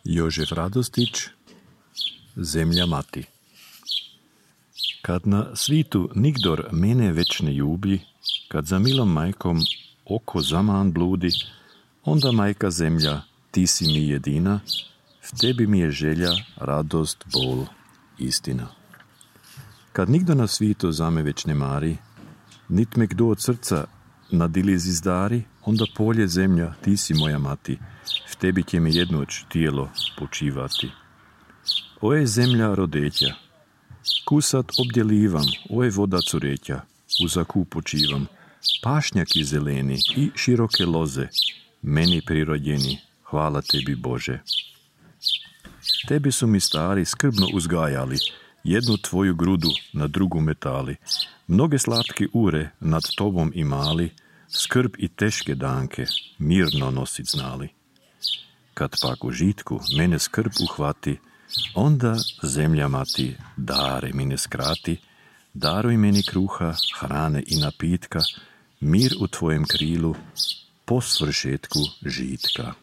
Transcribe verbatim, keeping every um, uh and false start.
Jožef Radostić, Zemlja mati. Kad na svitu nigdor mene već ne ljubi, kad za milom majkom oko zaman bludi, onda majka zemlja, ti si mi jedina, v tebi mi je želja, radost, bol, istina. Kad nigdo na svitu za me već ne mari, nit me kdo od srca na diliz izdari, onda polje zemlja, ti si moja mati, v tebi će mi jednoć tijelo počivati. O je zemlja rodeća, kusat obdjelivam, o je voda cureća, u zaku počivam, pašnjaki zeleni i široke loze, meni prirođeni, hvala tebi Bože. Tebi su mi stari skrbno uzgajali, jednu tvoju grudu na drugu metali, mnoge slatke ure nad tobom imali, skrb i teške danke mirno nosit znali. Kad pak u žitku mene skrb uhvati, onda zemlja mati dare mi ne skrati, daruj meni kruha, hrane i napitka, mir u tvojem krilu, po svršetku žitka.